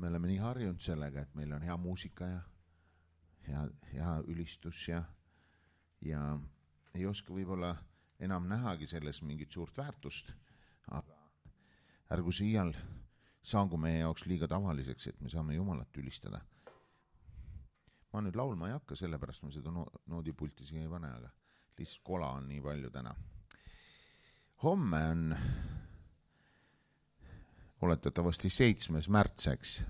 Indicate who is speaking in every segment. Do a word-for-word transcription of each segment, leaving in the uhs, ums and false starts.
Speaker 1: me oleme nii harjunud sellega, et meil on hea muusika ja hea, hea ülistus ja, ja ei oska võib-olla enam nähagi selles mingit suurt väärtust, aga ärgu siial saagu meie jaoks liiga tavaliseks, et me saame Jumalat ülistada. Ma nüüd laulma ei hakka, sellepärast ma seda no- noodipulti siia ei pane, aga lihtsalt kola on nii palju täna. Homme on oletatavasti seitsmes märtseks.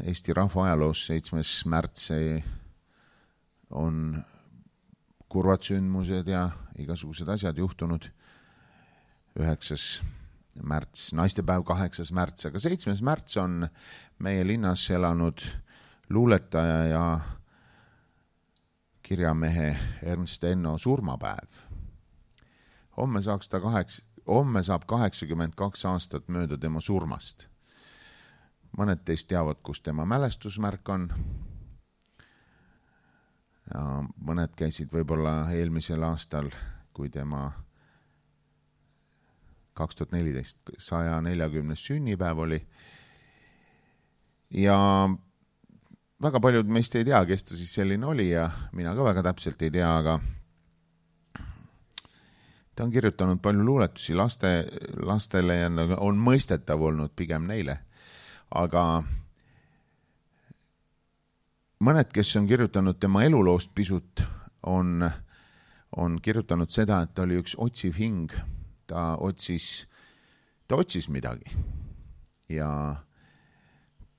Speaker 1: Eesti rahva ajaloos seitsmes märts on kurvad sündmused ja igasugused asjad juhtunud. Üheksas märts, naistepäev kaheksas märts, aga seitsmes märts on meie linnas elanud luuletaja ja kirjamehe Ernst Enno surmapäev. Homme saaks ta kaheks, homme saab kaheksakümmend kaks aastat mööda tema surmast. Mõned teist teavad, kus tema mälestusmärk on. Ja mõned käisid võib-olla eelmisel aastal, kui tema kaks tuhat neliteist saja neljakümnes sünnipäev oli. Ja väga paljud meist ei tea, kes ta siis selline oli ja mina ka väga täpselt ei tea, aga ta on kirjutanud palju luuletusi laste, lastele ja on mõistetav olnud pigem neile. Aga mõned, kes on kirjutanud tema eluloost pisut, on, on kirjutanud seda, et ta oli üks otsiv hing. Ta otsis, ta otsis midagi ja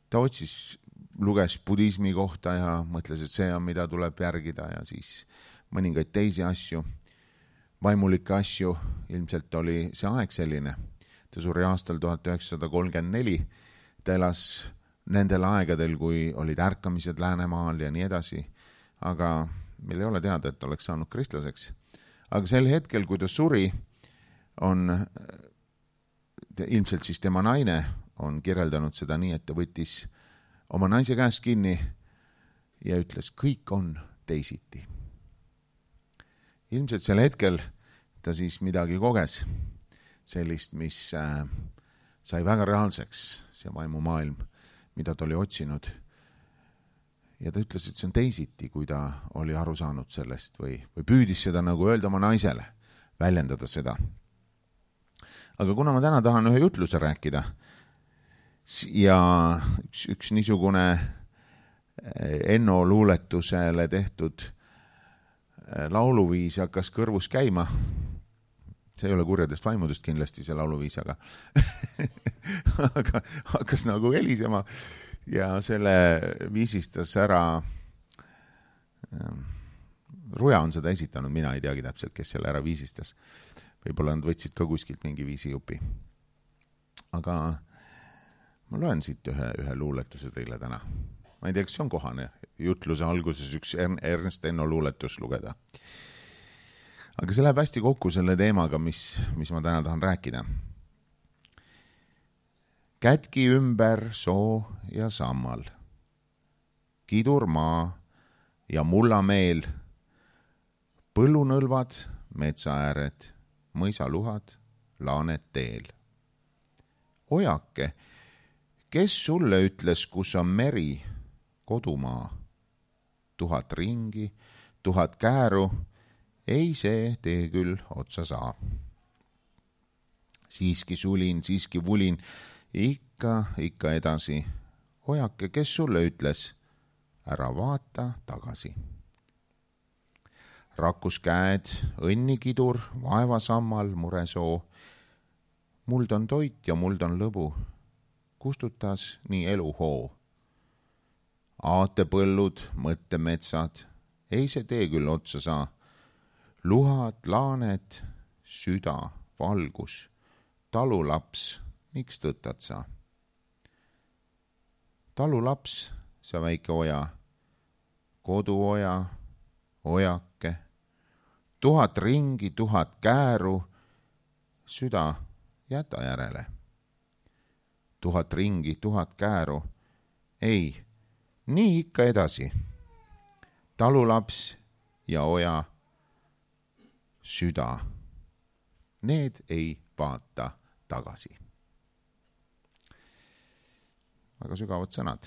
Speaker 1: ta otsis, luges budismi kohta ja mõtles, et see on, mida tuleb järgida ja siis mõningaid teisi asju, vaimulikke asju, ilmselt oli see aeg selline. Ta suri aastal tuhat üheksasada kolmkümmend neli, ta elas nendel aegadel, kui olid ärkamised Läänemaal ja nii edasi, aga meil ei ole teada, et oleks saanud kristlaseks. Aga sel hetkel, kui ta suri, on ilmselt siis tema naine on kirjeldanud seda nii, et ta võttis oma naise käest kinni ja ütles, kõik on teisiti. Ilmselt sel hetkel ta siis midagi koges, sellist, mis äh, sai väga reaalseks, see vaimumaailm, mida ta oli otsinud. Ja ta ütles, et see on teisiti, kui ta oli aru saanud sellest või, või püüdis seda nagu öelda oma naisele, väljendada seda. Aga kuna ma täna tahan ühe jutluse rääkida ja üks, üks niisugune Enno luuletusele tehtud lauluviis hakkas kõrvus käima, see ei ole kurjadest vaimudest kindlasti see lauluviis, aga, aga hakkas nagu helisema ja selle viisistas ära, Ruja on seda esitanud, mina ei teagi täpselt, kes selle ära viisistas. Võib-olla nad võtsid ka kuskilt mingi viisijupi. Aga ma loen siit ühe, ühe luuletuse teile täna. Ma ei tea, kas see on kohane jutluse alguses üks Ernst Enno luuletus lugeda. Aga see läheb hästi kokku selle teemaga, mis, mis ma täna tahan rääkida. Kätki ümber soo ja sammal, kidur maa ja mullameel, põllunõlvad, metsaääred, mõisaluhad, laanet teel. Ojake, kes sulle ütles, kus on meri, kodumaa? Tuhat ringi, tuhat kääru, ei see tee küll otsa saa. Siiski sulin, siiski vulin, ikka, ikka edasi. Ojake, kes sulle ütles, ära vaata tagasi. Rakkus käed, õnnikidur, vaevasammal, muresoo. Muld on toit ja muld on lõbu. Kustutas nii eluhoo. Aatepõllud, mõttemetsad, ei see tee küll otsa saa. Luhad, laanet, süda, valgus, talulaps, miks tõttad sa? Talulaps, sa väike oja, koduoja, ojake, tuhat ringi, tuhat kääru, süda, jäta järele. Tuhat ringi, tuhat kääru, ei, nii ikka edasi. Talulaps ja oja, süda, need ei vaata tagasi. väga sügavad sõnad.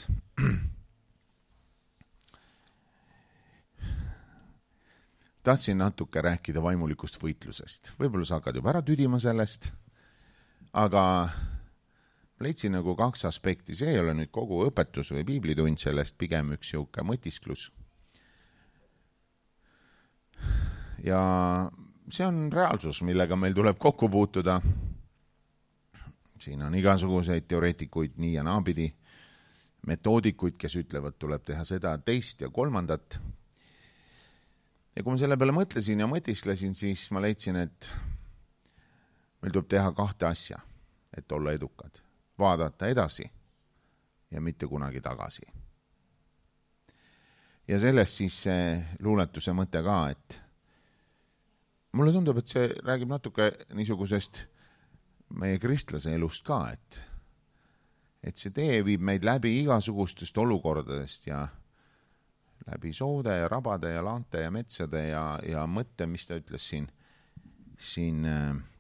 Speaker 1: Tahtsin natuke rääkida vaimulikust võitlusest. Võib-olla sa hakkad juba ära tüdima sellest, aga leidsin nagu kaks aspekti. See ei ole nüüd kogu õpetus või piiblitund sellest, pigem üks siuke mõtisklus. Ja see on reaalsus, millega meil tuleb kokku puutuda. Siin on igasuguseid teoreetikuid nii ja naapidi, metoodikuid, kes ütlevad, tuleb teha seda, teist ja kolmandat. Ja kui ma selle peale mõtlesin ja mõtisklesin, siis ma leidsin, et meil tuleb teha kahte asja, et olla edukad. Vaadata edasi ja mitte kunagi tagasi. Ja sellest siis see luuletuse mõte ka, et mulle tundub, et see räägib natuke niisugusest meie kristlase elust ka, et, et see tee viib meid läbi igasugustest olukordadest ja läbi soode ja rabade ja laante ja metsade ja, ja mõtte, mis ta ütles siin, siin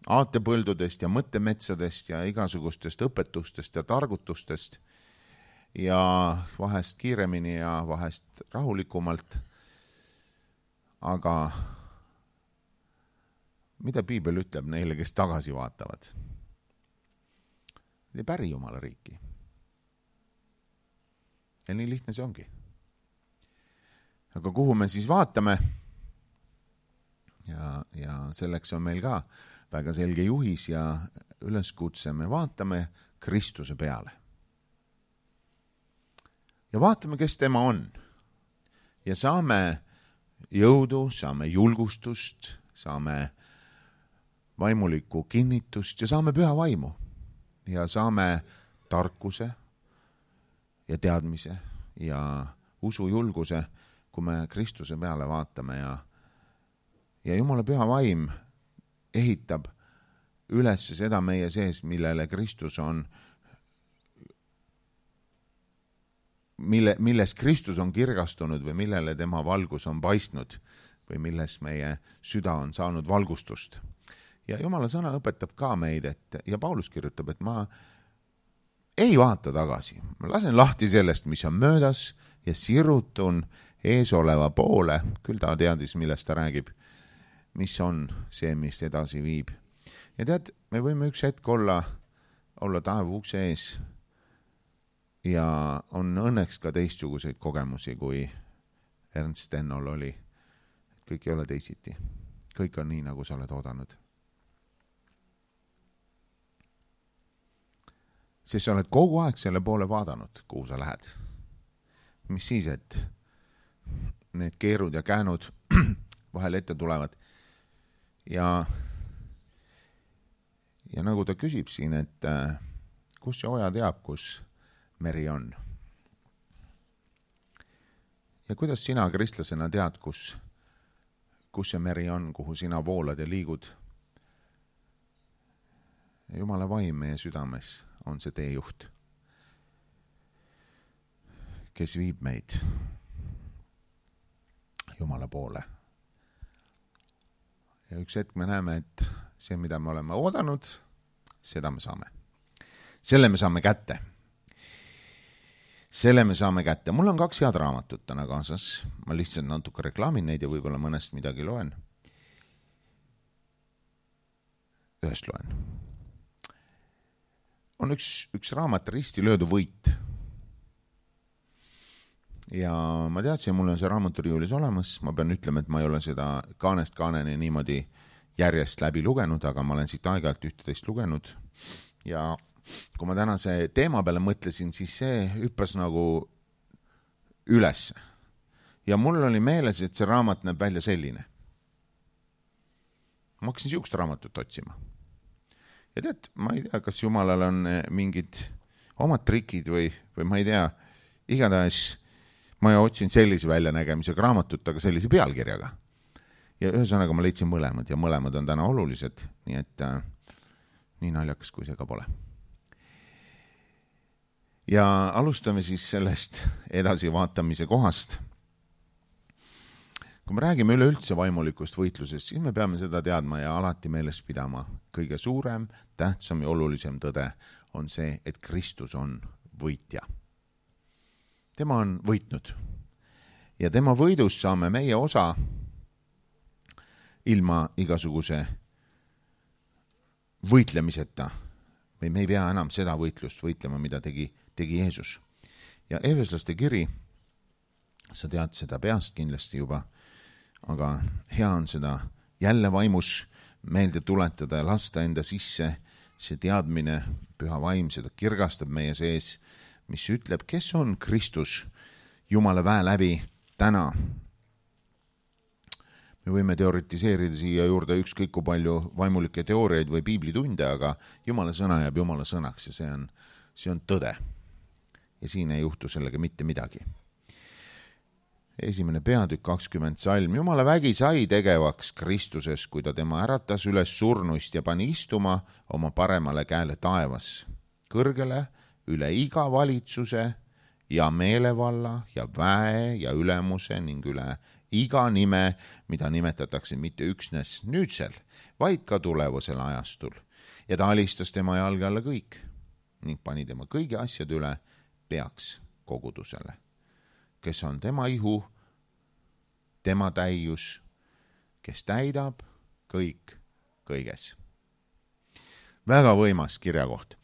Speaker 1: aatepõldudest ja mõttemetsadest ja igasugustest õpetustest ja targutustest ja vahest kiiremini ja vahest rahulikumalt. Aga mida piibel ütleb neile, kes tagasi vaatavad? Ei päri Jumala riiki. Ja nii lihtne see ongi. Aga kuhu me siis vaatame? Ja, ja selleks on meil ka väga selge juhis ja üleskutse. Me vaatame Kristuse peale. Ja vaatame, kes tema on. Ja saame jõudu, saame julgustust, saame vaimulikku kinnitust ja saame püha vaimu. Ja saame tarkuse ja teadmise ja usujulguse, kui me Kristuse peale vaatame ja, ja Jumala püha vaim ehitab üles seda meie sees, millele Kristus on, mille, milles Kristus on kirgastunud või millele tema valgus on paistnud või milles meie süda on saanud valgustust. Ja Jumala sõna õpetab ka meid, et, ja Paulus kirjutab, et ma ei vaata tagasi. Ma lasen lahti sellest, mis on möödas ja sirutun ees oleva poole, küll ta teadis, millest ta räägib, mis on see, mis edasi viib. Ja tead, me võime üks hetk olla, olla taevu ukse ees ja on õnneks ka teistsuguseid kogemusi, kui Ernst Stennol oli. Kõik ei ole teisiti. Kõik on nii, nagu sa oled oodanud. Sest sa oled kogu aeg selle poole vaadanud, kuhu sa lähed. Mis siis, et need keerud ja käänud vahel ette tulevad. Ja, ja nagu ta küsib siin, et kus see oja teab, kus meri on. Ja kuidas sina kristlasena tead, kus, kus see meri on, kuhu sina voolad ja liigud. Jumala vaim meie südames on see teejuht, kes viib meid Jumala poole. Ja üks hetk me näeme, et see, mida me oleme oodanud, seda me saame. Selle me saame kätte. Selle me saame kätte. Mul on kaks head raamatut täna kaasas. Ma lihtsalt natuke reklaamin neid ja võib-olla mõnest midagi loen. Ühest loen. On üks, üks raamat Risti löödu võit. Ja ma teadsin, mul on see raamaturiiulis olemas. Ma pean ütlema, et ma ei ole seda kaanest kaaneni niimoodi järjest läbi lugenud, aga ma olen siit aeg-ajalt üht-teist lugenud. Ja kui ma tänase teema peale mõtlesin, siis see hüppas nagu üles. Ja mul oli meeles, et see raamat näeb välja selline. Ma hakkasin siukest raamatut otsima. Ja tead, ma ei tea, kas Jumalal on mingid omad trikid või, või ma ei tea, igatahes ma otsin sellise väljanägemisega raamatut, aga sellise pealkirjaga. Ja ühesõnaga ma leidsin mõlemad ja mõlemad on täna olulised, nii et äh, nii naljakas, kui see ka pole. Ja alustame siis sellest edasi vaatamise kohast. Kui me räägime üleüldse vaimulikust võitlusest, siis me peame seda teadma ja alati meeles pidama. Kõige suurem, tähtsam ja olulisem tõde on see, et Kristus on võitja. tema on võitnud. Ja tema võidus saame meie osa ilma igasuguse võitlemiseta. või me ei pea enam seda võitlust võitlema, mida tegi, tegi Jeesus. Ja Efeslaste kiri, sa tead seda peast kindlasti juba, aga hea on seda jälle vaimus meelde tuletada ja lasta enda sisse see teadmine, püha vaim, seda kirgastab meie sees, mis ütleb, kes on Kristus Jumala väe läbi täna. Me võime teoritiseerida siia juurde ükskõik kui palju vaimulikke teooriaid või piiblitunde, aga Jumala sõna jääb Jumala sõnaks ja see on, see on tõde. Ja siin ei juhtu sellega mitte midagi. Esimene peatükk kakskümmend salm. Jumala vägi sai tegevaks Kristuses, kui ta tema äratas üles surnuist ja pani istuma oma paremale käele taevas, kõrgele üle iga valitsuse ja meelevalla ja väe ja ülemuse ning üle iga nime, mida nimetatakse mitte üksnes nüüdsel, vaid ka tulevasel ajastul. Ja ta alistas tema jalge alla kõik ning pani tema kõigi asjad üle peaks kogudusele, kes on tema ihu, tema täius, kes täidab kõik kõiges. Väga võimas kirjakoht.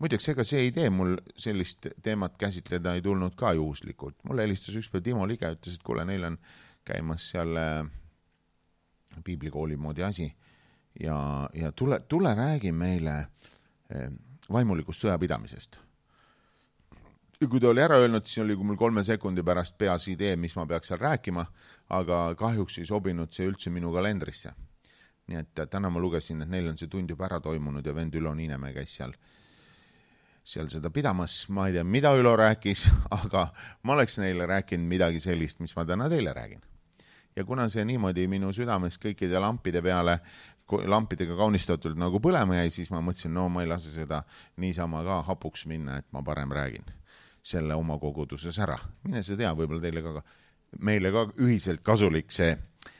Speaker 1: Muideks, ega see idee mul sellist teemat käsitleda ei tulnud ka juhuslikult. Mulle helistas ükspäev Timo Lige, ütles, et kuule, neil on käimas seal piiblikooli moodi asi ja, ja tule, tule räägi meile vaimulikust sõjapidamisest. Ja kui ta oli ära öelnud, siis oli mul kolme sekundi pärast peas idee, mis ma peaks seal rääkima, aga kahjuks ei sobinud see üldse minu kalendrisse. Nii et täna ma lugesin, et neil on see tund juba ära toimunud ja vend Ülo Niinemäe käis seal seal seda pidamas, ma ei tea, mida Ülo rääkis, aga ma oleks neile rääkinud midagi sellist, mis ma täna teile räägin. Ja kuna see niimoodi minu südames kõikide lampide peale, lampidega kaunistatult nagu põlema jäi, siis ma mõtlesin, no ma ei lase seda niisama ka hapuks minna, et ma parem räägin selle oma koguduses ära. Mine see tea, võib-olla teile ka, meile ka ühiselt kasulik see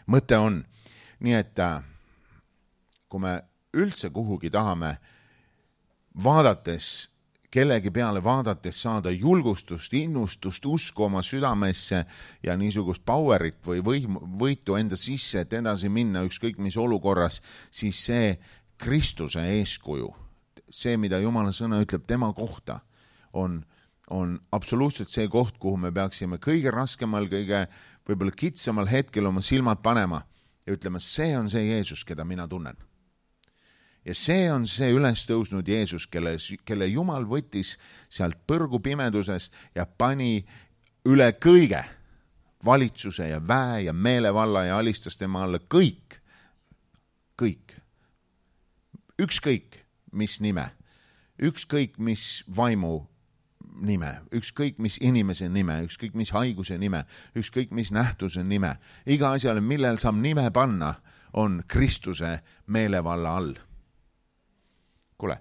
Speaker 1: mõte on. Nii et kui me üldse kuhugi tahame vaadates, kellegi peale vaadates saada julgustust, innustust, usku oma südamesse ja niisugust powerit või võim, võitu enda sisse, et edasi minna ükskõik mis olukorras, siis see Kristuse eeskuju, see, mida Jumala sõna ütleb tema kohta, on, on absoluutselt see koht, kuhu me peaksime kõige raskemal, kõige võib-olla kitsamal hetkel oma silmad panema ja ütlema, see on see Jeesus, keda mina tunnen. Ja see on see üles tõusnud Jeesus, kelle, kelle Jumal võttis sealt põrgu pimedusest ja pani üle kõige valitsuse ja väe ja meelevalla ja alistas tema alla kõik, kõik, ükskõik mis nime, ükskõik mis vaimu nime, ükskõik mis inimese nime, ükskõik mis haiguse nime, ükskõik mis nähtuse nime, iga asjale, millel saab nime panna, on Kristuse meelevalla all. Kuule,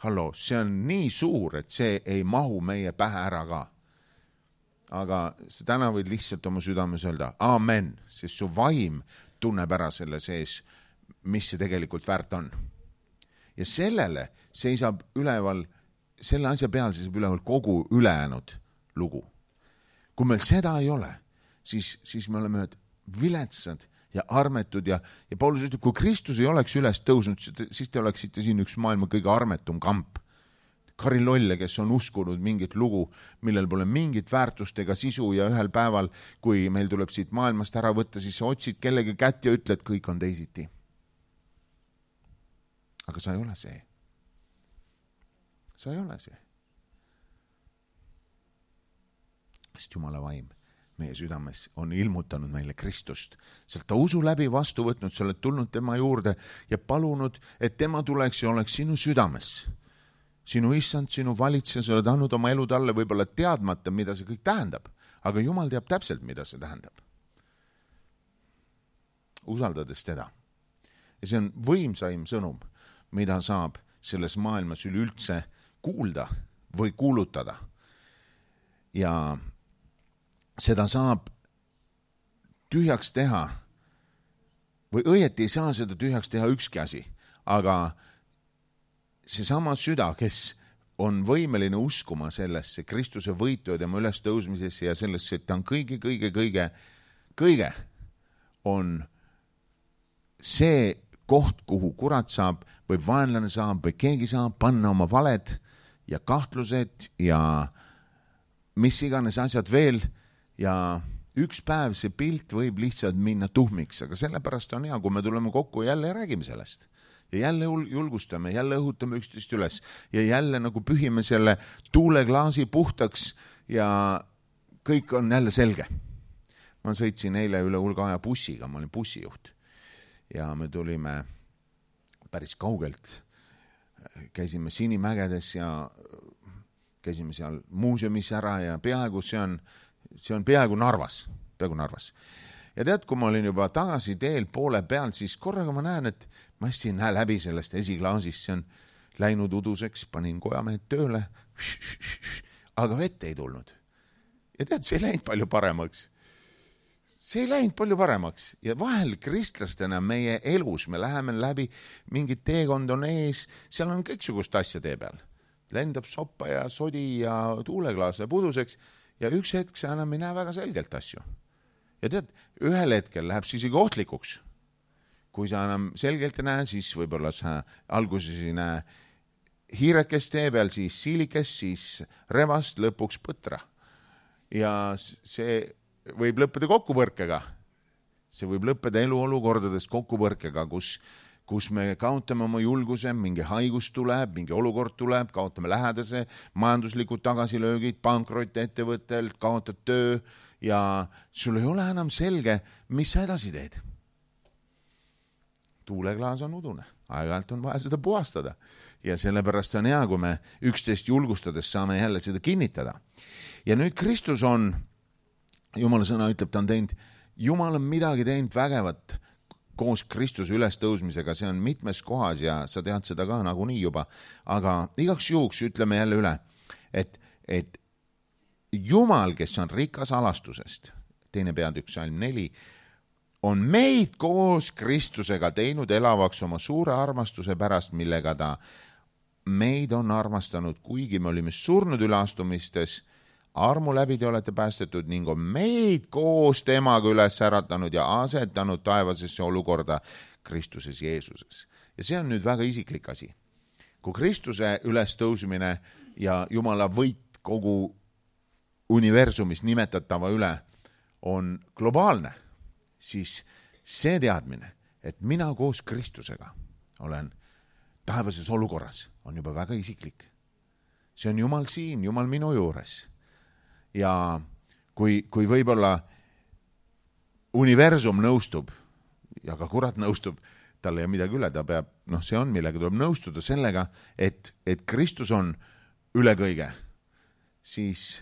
Speaker 1: hallo, see on nii suur, et see ei mahu meie pähe ära ka. Aga täna võid lihtsalt oma südames öelda, amen, sest su vaim tunneb ära selle sees, mis see tegelikult väärt on. Ja sellele seisab üleval, selle asja peal seisab üleval kogu ülejäänud lugu. Kui meil seda ei ole, siis, siis me oleme viletsad ja armetud ja, ja Paulus ütleb, kui Kristus ei oleks üles tõusnud, siis te oleksite siin üks maailma kõige armetum kamp. Karilolle, kes on uskunud mingit lugu, millel pole mingit väärtust ega sisu ja ühel päeval, kui meil tuleb siit maailmast ära võtta, siis sa otsid kellegi kätt ja ütled, kõik on teisiti. Aga sa ei ole see. Sa ei ole see. Sest Jumala vaim meie südames on ilmutanud meile Kristust. Sealt ta usu läbi vastu võtnud, sa oled tulnud tema juurde ja palunud, et tema tuleks ja oleks sinu südames. Sinu issand, sinu valitseja, sa oled andnud oma elu talle võib-olla teadmata, mida see kõik tähendab. Aga Jumal teab täpselt, mida see tähendab. Usaldades teda. Ja see on võimsaim sõnum, mida saab selles maailmas üleüldse kuulda või kuulutada. Ja seda saab tühjaks teha või õieti ei saa seda tühjaks teha ükski asi, aga see sama süda, kes on võimeline uskuma sellesse Kristuse võitu ja tema üles tõusmisesse ja sellesse, et ta on kõige, kõige, kõige, kõige on see koht, kuhu kurat saab või vaenlane saab või keegi saab panna oma valed ja kahtlused ja mis iganes asjad veel ja üks päev see pilt võib lihtsalt minna tuhmiks, aga sellepärast on hea, kui me tuleme kokku ja jälle räägime sellest. Ja jälle julgustame, jälle õhutame üksteist üles ja jälle nagu pühime selle tuuleklaasi puhtaks ja kõik on jälle selge. Ma sõitsin eile üle hulga aja bussiga, ma olin bussijuht ja me tulime päris kaugelt. Käisime Sinimägedes ja käisime seal muuseumis ära ja peaaegu see on, see on peaaegu Narvas, peaaegu Narvas. Ja tead, kui ma olin juba tagasi teel poole peal, siis korraga ma näen, et ma hästi näe läbi sellest esiklaasist, see on läinud uduseks, panin kojamehed tööle, aga vett ei tulnud. Ja tead, see ei läinud palju paremaks. See ei läinud palju paremaks. Ja vahel kristlastena meie elus, me läheme läbi, mingid teekond on ees, seal on kõiksugust asja tee peal. Lendab soppa ja sodi ja tuuleklaas läheb uduseks ja üks hetk see enam ei näe väga selgelt asju. Ja tead, ühel hetkel läheb see isegi ohtlikuks. Kui sa enam selgelt ei näe, siis võib-olla sa alguses ei näe hiirekest tee peal, siis siilikest, siis revast, lõpuks põtra. Ja see võib lõppeda kokkupõrkega. See võib lõppeda eluolukordades kokkupõrkega, kus, kus me kaotame oma julguse, mingi haigus tuleb, mingi olukord tuleb, kaotame lähedase, majanduslikud tagasilöögid, pankrot ettevõttelt, kaotad töö ja sul ei ole enam selge, mis sa edasi teed. Tuuleklaas on udune, aeg-ajalt on vaja seda puhastada ja sellepärast on hea, kui me üksteist julgustades saame jälle seda kinnitada. Ja nüüd Kristus on, Jumala sõna ütleb, ta on teinud, Jumal on midagi teinud vägevat koos Kristuse ülestõusmisega, see on mitmes kohas ja sa tead seda ka nagunii juba, aga igaks juhuks ütleme jälle üle, et, et Jumal, kes on rikas alastusest, teine peatükk salm neli, on meid koos Kristusega teinud elavaks oma suure armastuse pärast, millega ta meid on armastanud, kuigi me olime surnud üleastumistes, armu läbi te olete päästetud ning on meid koos temaga üles äratanud ja asetanud taevasesse olukorda Kristuses Jeesuses. Ja see on nüüd väga isiklik asi. Kui Kristuse ülestõusmine ja Jumala võit kogu universumis nimetatava üle on globaalne, siis see teadmine, et mina koos Kristusega olen taevases olukorras, on juba väga isiklik. See on Jumal siin, Jumal minu juures. Ja kui, kui võib-olla universum nõustub ja ka kurat nõustub, tal ei ole midagi üle, ta peab, noh, see on millega tuleb nõustuda sellega, et, et Kristus on üle kõige, siis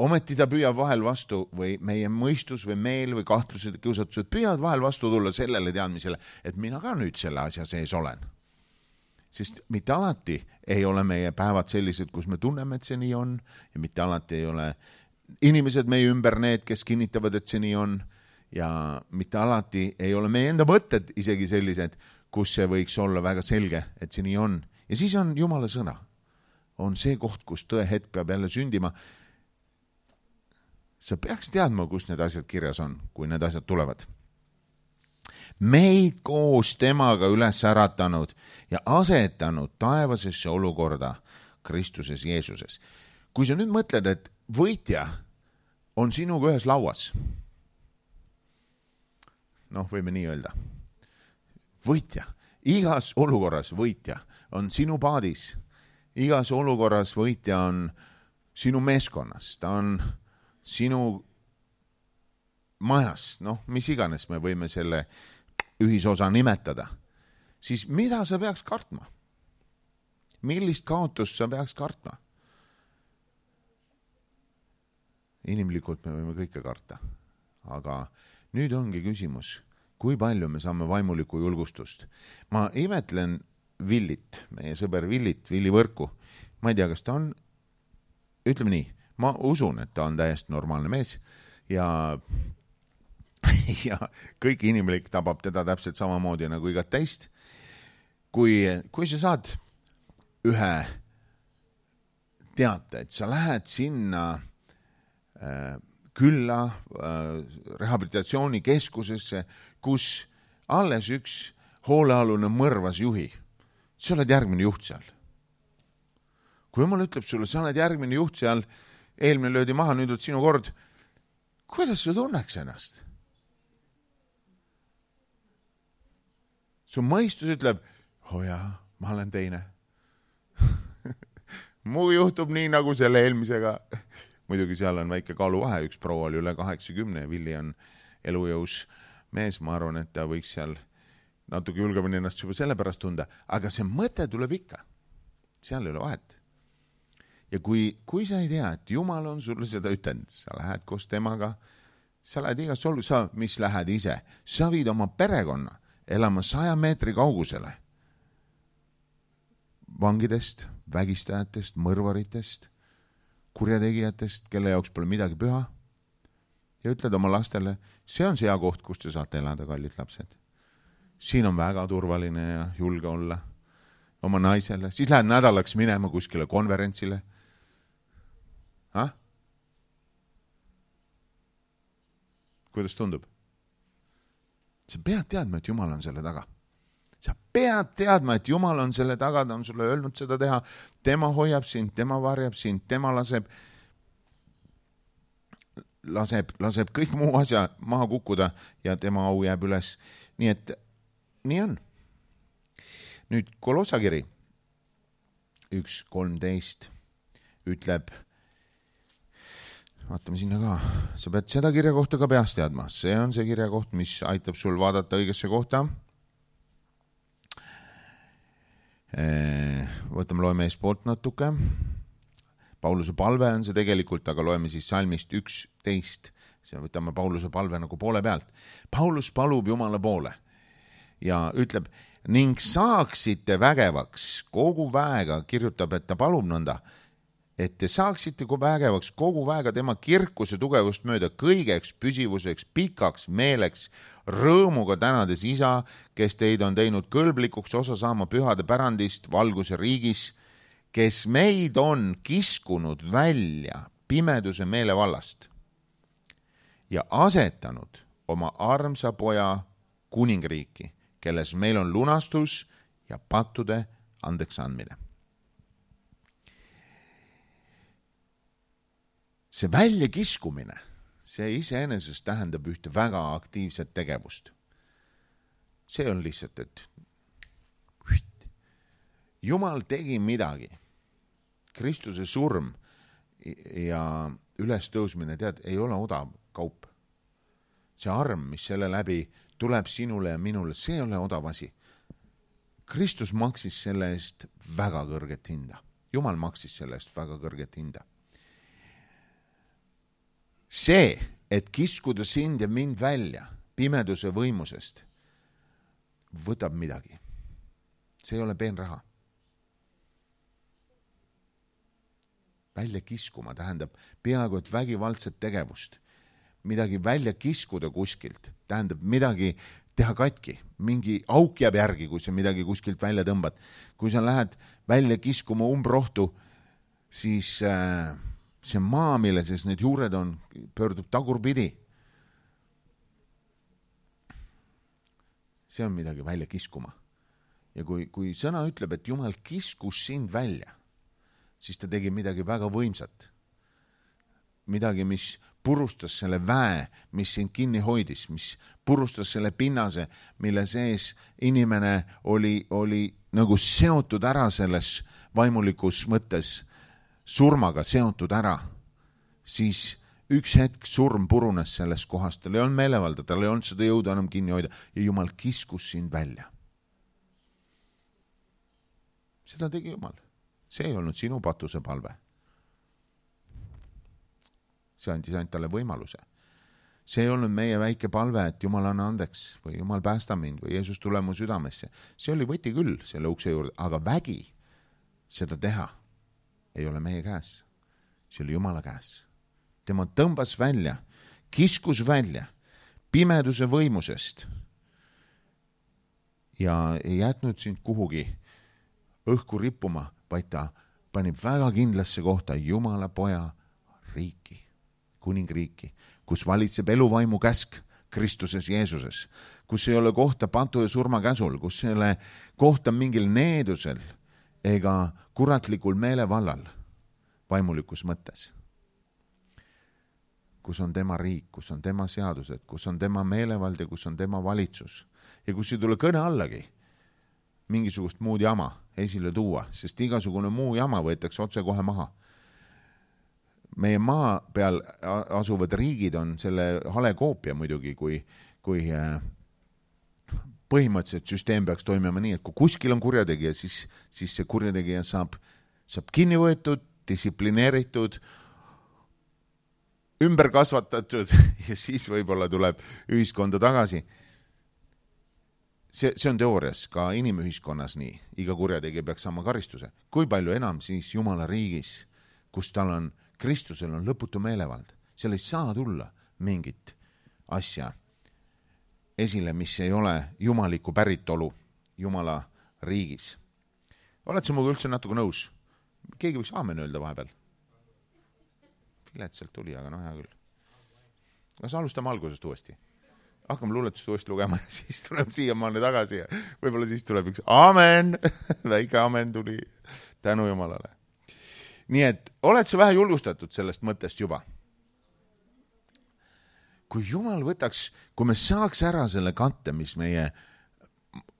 Speaker 1: ometi ta püüab vahel vastu või meie mõistus või meel või kahtlused ja kiusatused püüavad vahel vastu tulla sellele teadmisele, et mina ka nüüd selle asja sees olen. Sest mitte alati ei ole meie päevad sellised, kus me tunneme, et see nii on ja mitte alati ei ole inimesed meie ümber need, kes kinnitavad, et see nii on ja mitte alati ei ole meie enda mõtted isegi sellised, kus see võiks olla väga selge, et see nii on. Ja siis on Jumala sõna. On see koht, kus tõe hetk peab jälle sündima. Sa peaks teadma, kus need asjad kirjas on, kui need asjad tulevad. Meid koos temaga üles äratanud ja asetanud taevasesse olukorda Kristuses Jeesuses. Kui sa nüüd mõtled, et võitja on sinuga ühes lauas, noh, võime nii öelda, võitja, igas olukorras võitja on sinu paadis, igas olukorras võitja on sinu meeskonnas, ta on sinu majas, noh, mis iganes me võime selle ühisosa nimetada, siis mida sa peaks kartma? Millist kaotust sa peaks kartma? Inimlikult me võime kõike karta, aga nüüd ongi küsimus, kui palju me saame vaimulikku julgustust. Ma imetlen Villit, meie sõber Villit, Villi Võrku. Ma ei tea, kas ta on, ütleme nii, ma usun, et ta on täiesti normaalne mees ja ja kõik inimlik tabab teda täpselt samamoodi nagu igat teist. Kui, kui sa saad ühe teate, et sa lähed sinna äh, külla äh, rehabilitatsioonikeskusesse, kus alles üks hoolealune mõrvas juhi. Sa oled järgmine juht seal. Kui jumal ütleb sulle, sa oled järgmine juht seal, eelmine löödi maha, nüüd on sinu kord, kuidas sa tunneks ennast? Su mõistus ütleb, oh jaa, ma olen teine. Mu juhtub nii nagu selle eelmisega. Muidugi seal on väike kaaluvahe, üks proua oli üle kaheksakümne ja Villi on elujõus mees, ma arvan, et ta võiks seal natuke julgemini ennast juba selle pärast tunda, aga see mõte tuleb ikka. Seal ei ole vahet. Ja kui, kui sa ei tea, et Jumal on sulle seda ütlenud, sa lähed koos temaga, sa lähed igas olu, sa mis lähed ise, sa viid oma perekonna elama saja meetri kaugusele vangidest, vägistajatest, mõrvaritest, kurjategijatest, kelle jaoks pole midagi püha ja ütled oma lastele, see on see hea koht, kus te saate elada, kallid lapsed. Siin on väga turvaline ja julge olla oma naisele. Siis lähed nädalaks minema kuskile konverentsile. Ha? Kuidas tundub? Sa pead teadma, et Jumal on selle taga. Sa pead teadma, et Jumal on selle taga, ta on sulle öelnud seda teha. Tema hoiab sind, tema varjab sind, tema laseb, laseb, laseb kõik muu asja maha kukkuda ja tema au jääb üles. Nii et nii on. Nüüd Kolossakiri üks kolmteist ütleb, vaatame sinna ka, sa pead seda kirja kohta ka peast teadma. See on see kirja koht, mis aitab sul vaadata õigesse kohta. Võtame, loeme eespoolt natuke. Pauluse palve on see tegelikult, aga loeme siis salmist üksteist. See võtame Pauluse palve nagu poole pealt. Paulus palub Jumala poole ja ütleb, ning saaksite vägevaks kogu väega, kirjutab, et ta palub nõnda, et te saaksite vägevaks kogu väega tema kirkuse tugevust mööda kõigeks püsivuseks, pikaks meeleks, rõõmuga tänades isa, kes teid on teinud kõlblikuks osa saama pühade pärandist valguse riigis, kes meid on kiskunud välja pimeduse meelevallast ja asetanud oma armsa poja kuningriiki, kelles meil on lunastus ja pattude andeks andmine. See väljakiskumine, see iseenesest tähendab ühte väga aktiivset tegevust. See on lihtsalt, et Jumal tegi midagi. Kristuse surm ja ülestõusmine, tead, ei ole odav kaup. See arm, mis selle läbi tuleb sinule ja minule, see ei ole odav asi. Kristus maksis selle eest väga kõrget hinda. Jumal maksis selle eest väga kõrget hinda. See, et kiskuda sind ja mind välja pimeduse võimusest, võtab midagi. See ei ole peen raha. Välja kiskuma tähendab peaaegu et vägivaldset tegevust. Midagi välja kiskuda kuskilt tähendab midagi teha katki. Mingi auk jääb järgi, kui sa midagi kuskilt välja tõmbad. Kui sa lähed välja kiskuma umbrohtu, siis äh, see maa, mille siis need juured on, pöördub tagurpidi. See on midagi välja kiskuma. Ja kui, kui sõna ütleb, et Jumal kiskus sind välja, siis ta tegi midagi väga võimsat. Midagi, mis purustas selle väe, mis sind kinni hoidis, mis purustas selle pinnase, mille sees inimene oli, oli nagu seotud ära selles vaimulikus mõttes surmaga seotud ära, siis üks hetk surm purunes sellest kohast, tal ei olnud meelevalda, tal ei olnud seda jõudu enam kinni hoida ja Jumal kiskus sind välja. Seda tegi Jumal. See ei olnud sinu patuse palve. See andis ainult talle võimaluse. See ei olnud meie väike palve, et Jumal anna andeks või Jumal päästa mind või Jeesus tule mu südamesse. See oli võti küll selle ukse juurde, aga vägi seda teha ei ole meie käes. See oli Jumala käes. Tema tõmbas välja, kiskus välja pimeduse võimusest ja ei jätnud sind kuhugi õhku rippuma, vaid ta panib väga kindlasse kohta Jumala poja riiki, kuningriiki, kus valitseb eluvaimu käsk Kristuses Jeesuses, kus ei ole kohta patu ja surma käsul, kus ei ole kohta mingil needusel ega kuratlikul meelevallal vaimulikus mõttes. Kus on tema riik, kus on tema seadused, kus on tema meelevald ja kus on tema valitsus. Ja kus ei tule kõne allagi mingisugust muud jama esile tuua, sest igasugune muu jama võetakse otse kohe maha. Meie maa peal asuvad riigid on selle hale koopia muidugi, kui, kui põhimõtteliselt süsteem peaks toimima nii, et kui kuskil on kurjategija, siis, siis see kurjategija saab, saab kinni võetud, distsiplineeritud, ümber kasvatatud ja siis võib-olla tuleb ühiskonda tagasi. See, see on teoorias ka inimühiskonnas nii. Iga kurjategija peaks saama karistuse. Kui palju enam siis Jumala riigis, kus tal on, Kristusel on lõputu meelevald. Seal ei saa tulla mingit asja esile, mis ei ole jumaliku päritolu Jumala riigis. Oled sa muga üldse natuke nõus? Keegi võiks aamen öelda vahepeal? Viletsalt tuli, aga no hea küll. Kas alustame algusest uuesti? Hakkame luuletust uuesti lugema ja siis tuleb siia maani tagasi ja võib-olla siis tuleb üks aamen, väike aamen tuli tänu Jumalale. Nii et oled sa vähe julgustatud sellest mõttest juba? Kui Jumal võtaks, kui me saaks ära selle katte, mis meie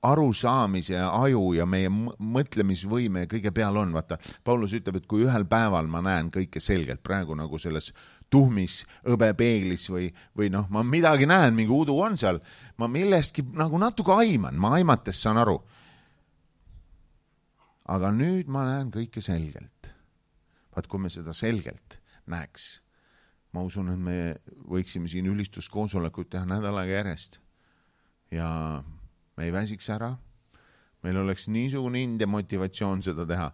Speaker 1: arusaamise aju ja meie mõtlemisvõime kõige peal on, vaata, Paulus ütleb, et kui ühel päeval ma näen kõike selgelt, praegu nagu selles tuhmis õbepeeglis või, või noh, ma midagi näen, mingi udu on seal, ma millestki nagu natuke aiman, ma aimates saan aru. Aga nüüd ma näen kõike selgelt. Vaat kui me seda selgelt näeks, ma usun, et me võiksime siin ülistuskoosolekut teha nädalaga järjest ja me ei väsiks ära, meil oleks niisugune ind ja motivatsioon seda teha.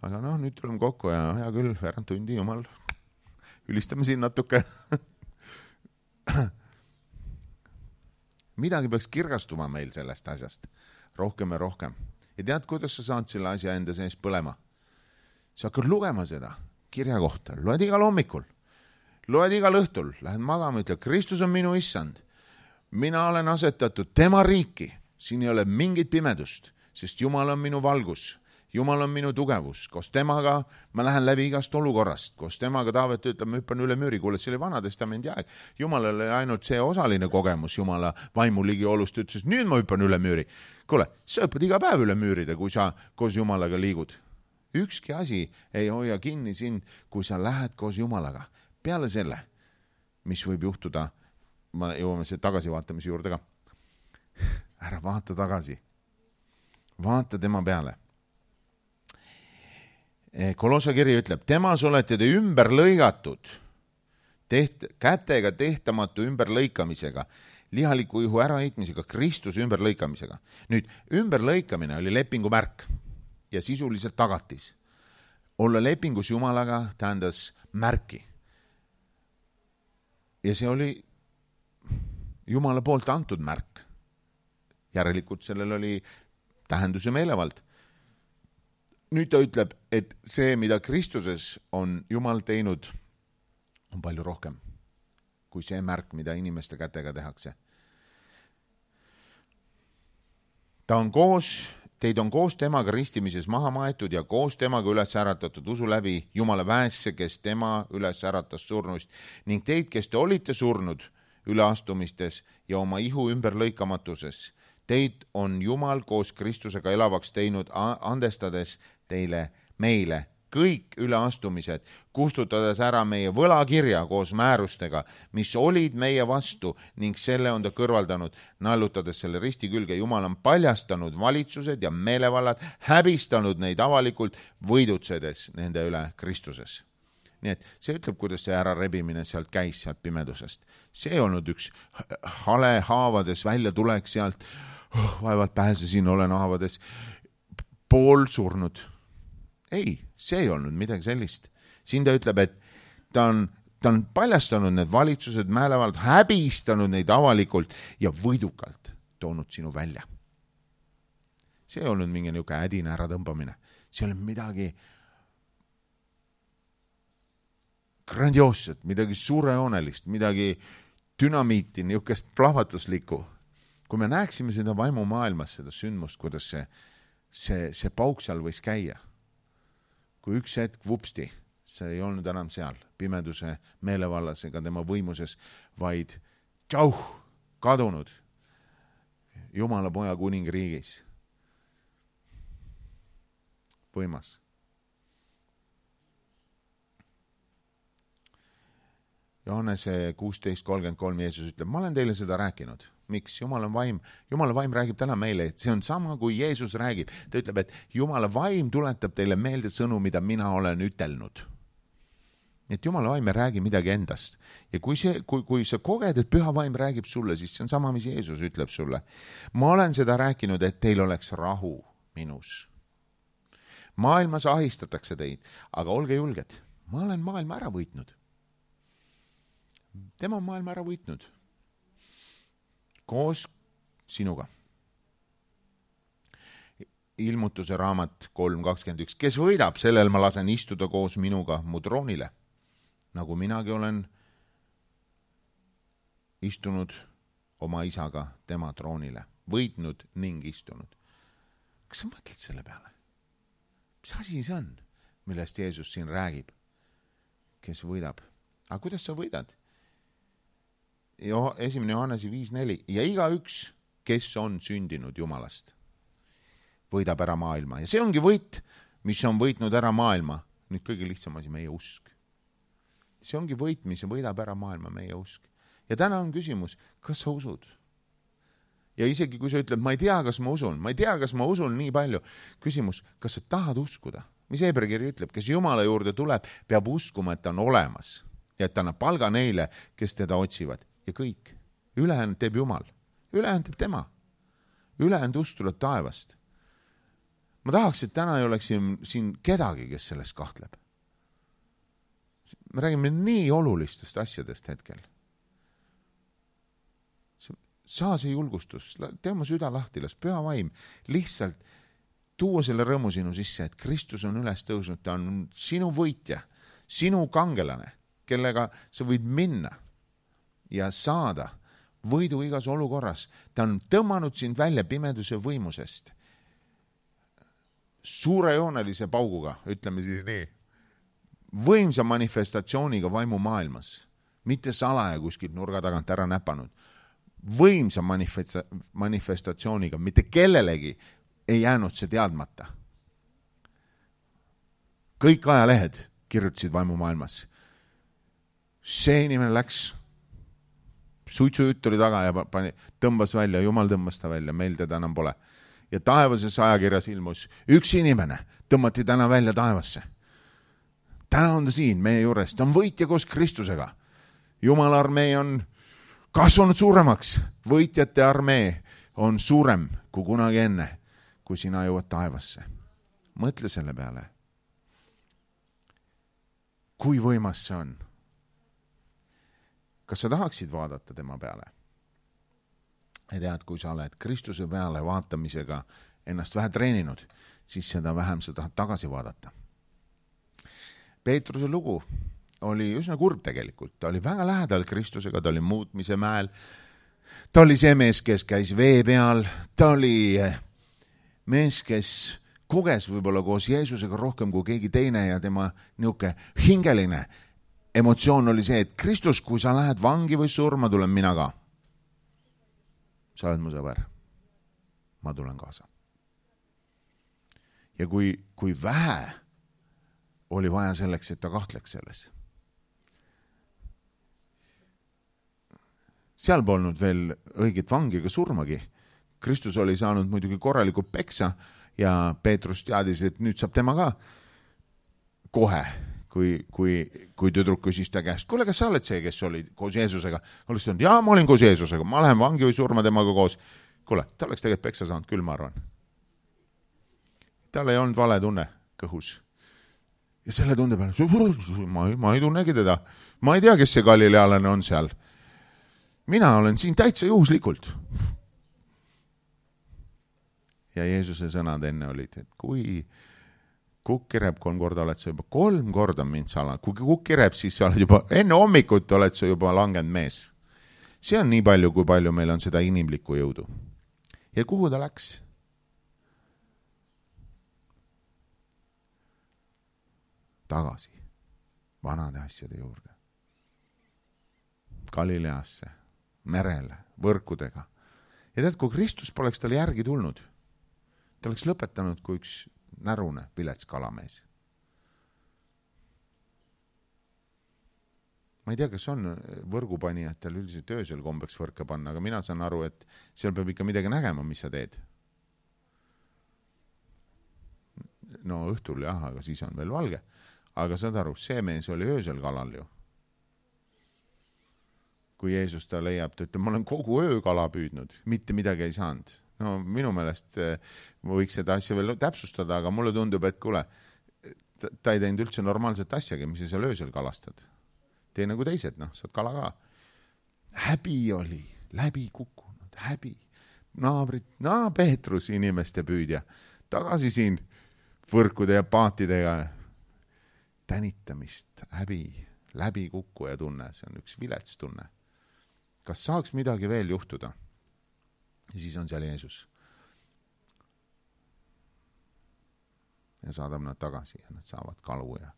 Speaker 1: Aga noh, nüüd tuleme kokku ja hea küll, veerand tundi, Jumal, ülistame siin natuke. Midagi peaks kirgastuma meil sellest asjast, rohkem ja rohkem. Ja tead, kuidas sa saad selle asja enda sees põlema? Sa hakkad lugema seda kirja kohta, loed igal hommikul, loed igal õhtul, lähed magama, ütled, Kristus on minu issand. Mina olen asetatud tema riiki, siin ei ole mingit pimedust, sest Jumal on minu valgus, Jumal on minu tugevus, koos temaga ma lähen läbi igast olukorrast, koos temaga Taavet ütleb, ma hüppan üle müüri, kuule, see oli vana testamendi aeg, Jumalal oli ainult see osaline kogemus Jumala vaimuligi olust, ütles, nüüd ma hüppan üle müüri. Kuule, sa hüppad iga päev üle müüride, kui sa koos Jumalaga liigud. Ükski asi ei hoia kinni sind, kui sa lähed koos Jumalaga. Peale selle, mis võib juhtuda, ma jõuame see tagasivaatamise juurde ka. Ära vaata tagasi. Vaata tema peale. Kolossa kiri ütleb, temas olete te ümber lõigatud, teht, kätega tehtamatu ümber lõikamisega, lihaliku ihu äraheitmisega, Kristuse ümber lõikamisega. Nüüd, ümber lõikamine oli lepingu märk ja sisuliselt tagatis. Olla lepingus Jumalaga tähendas märki. Ja see oli Jumala poolt antud märk. Järelikult sellel oli tähenduse meelevald. Nüüd ta ütleb, et see, mida Kristuses on Jumal teinud, on palju rohkem kui see märk, mida inimeste kätega tehakse. Ta on koos, teid on koos temaga ristimises maha maetud ja koos temaga üles äratatud usu läbi Jumala väesse, kes tema üles äratas surnuist ning teid, kes te olite surnud üleastumistes ja oma ihu ümber lõikamatuses. Teid on Jumal koos Kristusega elavaks teinud, andestades teile meile kõik üleastumised, kustutades ära meie võlakirja koos määrustega, mis olid meie vastu ning selle on ta kõrvaldanud, naelutades selle risti külge. Jumal on paljastanud valitsused ja meelevallad, häbistanud neid avalikult, võidutsedes nende üle Kristuses. Nii et see ütleb, kuidas see ära rebimine sealt käis, sealt pimedusest. See ei olnud üks hale haavades välja tulek sealt, oh, vaevalt pääsesin, olen haavades pool surnud. Ei, see ei olnud midagi sellist. Siin ta ütleb, et ta on, ta on paljastanud need valitsused, määlevald, häbistanud neid avalikult ja võidukalt toonud sinu välja. See ei olnud mingi niuke ädine äratõmbamine. See oli midagi grandioosset, midagi suurejoonelist, midagi dünamiiti, niisugust plahvatuslikku. Kui me näeksime seda vaimumaailmas, seda sündmust, kuidas see, see, see pauk seal võis käia. Kui üks hetk vupsti, see ei olnud enam seal, pimeduse meelevallas ega tema võimuses, vaid tšauh, kadunud Jumala poja kuningriigis. Võimas. Johannese kuusteist kolmkümmend kolm Jeesus ütleb, ma olen teile seda rääkinud. Miks? Jumala vaim, Jumala vaim räägib täna meile, et see on sama, kui Jeesus räägib. Ta ütleb, et Jumala vaim tuletab teile meelde sõnu, mida mina olen ütelnud. Et Jumala vaim ei räägi midagi endast. Ja kui, see, kui, kui sa koged, et püha vaim räägib sulle, siis see on sama, mis Jeesus ütleb sulle. Ma olen seda rääkinud, et teil oleks rahu minus. Maailmas ahistatakse teid, aga olge julged. Ma olen maailma ära võitnud. Tema on maailma ära võitnud. Koos sinuga. Ilmutuse raamat kolm kakskümmend üks. Kes võidab, sellel ma lasen istuda koos minuga mu troonile, nagu minagi olen istunud oma isaga tema troonile. Võitnud ning istunud. Kas sa mõtled selle peale? Mis asi see on, millest Jeesus siin räägib? Kes võidab? Aga kuidas sa võidad? Jo, esimene Johannese viis neli. Ja iga üks, kes on sündinud Jumalast, võidab ära maailma. Ja see ongi võit, mis on võitnud ära maailma. Nüüd kõige lihtsam asi, meie usk. See ongi võit, mis võidab ära maailma, meie usk. Ja täna on küsimus, kas sa usud? Ja isegi kui sa ütled, ma ei tea, kas ma usun, ma ei tea, kas ma usun nii palju. Küsimus, kas sa tahad uskuda? Mis Hebreakiri ütleb, kes Jumala juurde tuleb, peab uskuma, et ta on olemas ja et ta annab palga neile, kes teda otsivad. Ja kõik. Ülejäänud teeb Jumal. Ülejäänud teeb tema. Ülejäänud usk tuleb taevast. Ma tahaks, et täna ei oleks siin, siin kedagi, kes sellest kahtleb. Me räägime nii olulistest asjadest hetkel. Saa see julgustus, tee oma süda lahti, las püha vaim lihtsalt tuua selle rõõmu sinu sisse, et Kristus on üles tõusnud, ta on sinu võitja, sinu kangelane, kellega sa võid minna ja saada võidu igas olukorras. Ta on tõmmanud sind välja pimeduse võimusest suurejoonelise pauguga, ütleme siis nii, võimsa manifestatsiooniga vaimu maailmas, mitte salaja kuskilt nurga tagant ära näpanud, võimsa manifestatsiooniga, mitte kellelegi ei jäänud see teadmata. Kõik ajalehed kirjutasid vaimu maailmas. See inimene läks, suitsujutt oli taga ja pani, tõmbas välja, Jumal tõmbas ta välja, meil teda enam pole. Ja taevases ajakirjas ilmus üks inimene, tõmmati täna välja taevasse. Täna on ta siin meie juures, ta on võitja koos Kristusega. Jumala armee on kasvanud suuremaks, võitjate armee on suurem kui kunagi enne, kui sina jõuad taevasse. Mõtle selle peale. Kui võimas see on? Kas sa tahaksid vaadata tema peale? Ja tead, kui sa oled Kristuse peale vaatamisega ennast vähe treeninud, siis seda vähem sa tahad tagasi vaadata. Peetruse lugu oli üsna kurb tegelikult. Ta oli väga lähedal Kristusega, ta oli muutmise mäel. Ta oli see mees, kes käis vee peal. Ta oli mees, kes koges võib-olla koos Jeesusega rohkem kui keegi teine ja tema niuke hingeline emotsioon oli see, et Kristus, kui sa lähed vangi või surma, tulen mina ka. Sa oled mu sõber. Ma tulen kaasa. Ja kui, kui vähe oli vaja selleks, et ta kahtleks selles. Seal polnud veel õiget vangi ega surmagi. Kristus oli saanud muidugi korraliku peksa ja Peetrus teadis, et nüüd saab tema ka kohe, kui, kui, kui tüdruk küsis ta käest. Kuule, kas sa oled see, kes oli koos Jeesusega? Oleks öelnud, jaa, ma olin koos Jeesusega, ma lähen vangi või surma temaga koos. Kuule, ta oleks tegelikult peksa saanud, küll ma arvan. Tal ei olnud vale tunne kõhus. Ja selle tunde peale, ma, ma ei tunnegi teda. Ma ei tea, kes see galilealane on seal. Mina olen siin täitsa juhuslikult. Ja Jeesuse sõnad enne olid, et kui kukk kireb kolm korda, oled sa juba kolm korda mind sala. Kui kukk kireb, siis sa oled juba, enne hommikut oled sa juba langenud mees. See on nii palju, kui palju meil on seda inimlikku jõudu. Ja kuhu ta läks? Tagasi vanade asjade juurde. Galileasse, merele, võrkudega. Ja tead, kui Kristus poleks tal järgi tulnud, ta oleks lõpetanud kui üks närune vilets kalamees. Ma ei tea, kas on võrgupanijatel üldiselt öösel kombeks võrka panna, aga mina saan aru, et seal peab ikka midagi nägema, mis sa teed. No õhtul jah, aga siis on veel valge. Aga saad aru, see mees oli öösel kalal ju. Kui Jeesus ta leiab, ta ütleb, ma olen kogu öö kala püüdnud, mitte midagi ei saanud. No minu meelest ma võiks seda asja veel täpsustada, aga mulle tundub, et kuule, ta ei teinud üldse normaalset asjagi, mis sa seal öösel kalastad. Tee nagu teised, noh, saad kala ka. Häbi oli, läbi kukkunud, häbi. Naabrid, naa Peetrus, inimeste püüdja, tagasi siin võrkude ja paatidega tänitamist, häbi, läbi kukkuja tunne, see on üks vilets tunne. Kas saaks midagi veel juhtuda? Ja siis on seal Jeesus. Ja saadab nad tagasi ja nad saavad kalu ja,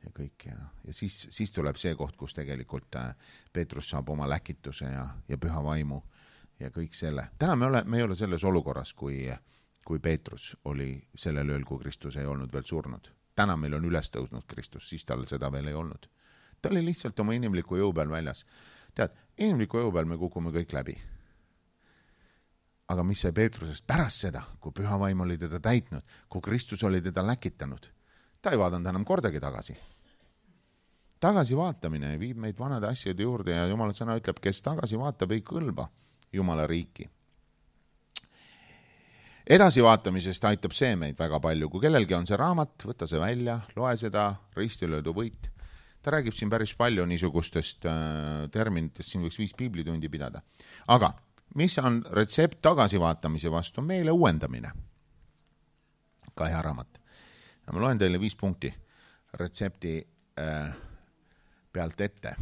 Speaker 1: ja kõik. Ja, ja siis, siis tuleb see koht, kus tegelikult Peetrus saab oma läkituse ja, ja püha vaimu ja kõik selle. Täna me, ole, me ei ole selles olukorras, kui, kui Peetrus oli sellel ööl, kui Kristus ei olnud veel surnud. Täna meil on üles tõusnud Kristus, siis tal seda veel ei olnud. Ta oli lihtsalt oma inimliku jõu peal väljas. Tead, inimliku jõu peal me kukume kõik läbi. Aga mis sai Peetrusest pärast seda, kui püha vaim oli teda täitnud, kui Kristus oli teda läkitanud, ta ei vaadanud enam kordagi tagasi. Tagasi vaatamine viib meid vanade asjade juurde ja Jumala sõna ütleb, kes tagasi vaatab, ei kõlba Jumala riiki. Edasi vaatamisest aitab see meid väga palju. Kui kellelgi on see raamat, võta see välja, loe seda, ristilöödu võit. Ta räägib siin päris palju niisugustest äh, terminitest, siin võiks viis piiblitundi pidada. Aga mis on retsept tagasivaatamise vastu? Meile uuendamine. Ka hea raamat. Ja ma loen teile viis punkti retsepti äh, pealt ette.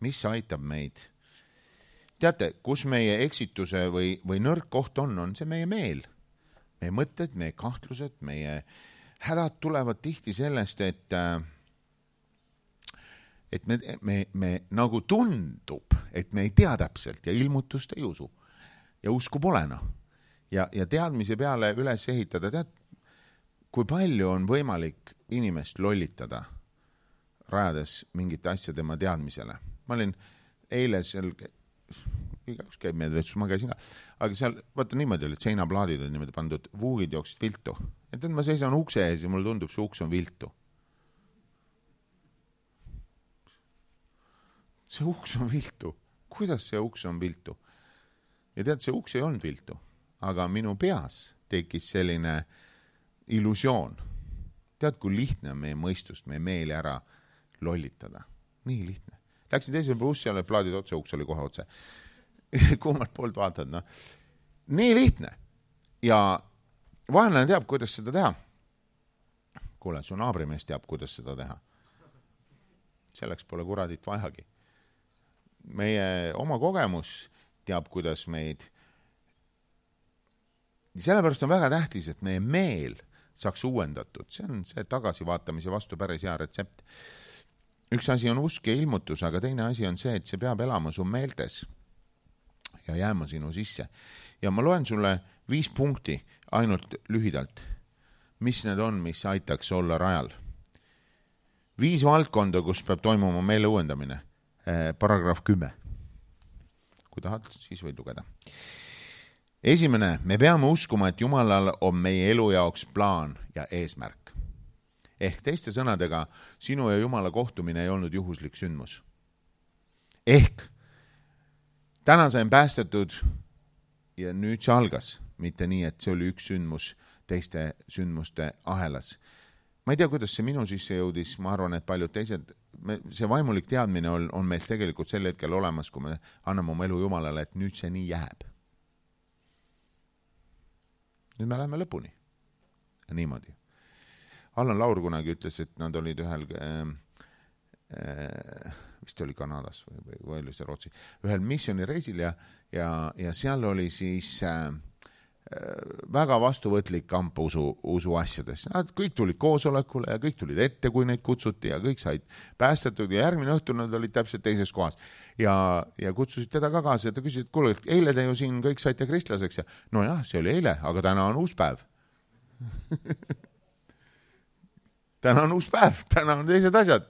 Speaker 1: Mis aitab meid? Teate, kus meie eksituse või, või nõrk koht on, on see meie meel. Meie mõtted, meie kahtlused, meie hädad tulevad tihti sellest, et, et me, me, me nagu tundub, et me ei tea täpselt ja ilmutust ei usu. Ja usku polena. Ja, ja teadmise peale üles ehitada, tead, kui palju on võimalik inimest lollitada, rajades mingit asja tema teadmisele. Ma olin eile seal, igaüks käib meid vetsus, ma käisin ka, aga seal, vaata niimoodi oli, et seinaplaadid on niimoodi pandud, vuugid jooksid viltu. Et ma seisan ukse ees ja mulle tundub, see uks on viltu. See uks on viltu. Kuidas see uks on viltu? Ja tead, see uks ei olnud viltu, aga minu peas tekkis selline illusioon. Tead, kui lihtne on meie mõistust, meie meeli ära lollitada. Nii lihtne. Läksin teisele bussi, jälle plaadid otse, uks oli kohe otse. Kummalt poolt vaatad, no. Nii lihtne. Ja vaenlane teab, kuidas seda teha. Kuule, su naabrimees teab, kuidas seda teha. Selleks pole kuradit vajagi. Meie oma kogemus teab, kuidas meid. Sellepärast on väga tähtis, et meie meel saaks uuendatud. See on see tagasivaatamise vastu päris hea retsept. Üks asi on usk ja ilmutus, aga teine asi on see, et see peab elama su meeltes ja jääma sinu sisse. Ja ma loen sulle viis punkti ainult lühidalt. Mis need on, mis aitaks olla rajal? Viis valdkonda, kus peab toimuma meele uuendamine. Eh, paragrahv kümme. Kui tahad, siis võid lugeda. Esimene, me peame uskuma, et Jumalal on meie elu jaoks plaan ja eesmärk. Ehk teiste sõnadega, sinu ja Jumala kohtumine ei olnud juhuslik sündmus. Ehk täna sain päästetud ja nüüd see algas, mitte nii, et see oli üks sündmus teiste sündmuste ahelas. Ma ei tea, kuidas see minu sisse jõudis, ma arvan, et paljud teised, see vaimulik teadmine on, on meil tegelikult sel hetkel olemas, kui me anname oma elu Jumalale, et nüüd see nii jääb. Nüüd me läheme lõpuni. Niimoodi. Allan Laur kunagi ütles, et nad olid ühel äh, äh, vist oli Kanadas või, või, või oli see Rootsi, ühel missioonireisil ja, ja, ja seal oli siis äh, väga vastuvõtlik kamp usu, usu asjades. Nad kõik tulid koosolekule ja kõik tulid ette, kui neid kutsuti ja kõik said päästetud ja järgmine õhtu nad olid täpselt teises kohas. Ja, ja kutsusid teda ka kaasa ja ta küsis, et kuule, et eile te ju siin kõik saite kristlaseks ja no jah, see oli eile, aga täna on uus päev. täna on uus päev, täna on teised asjad.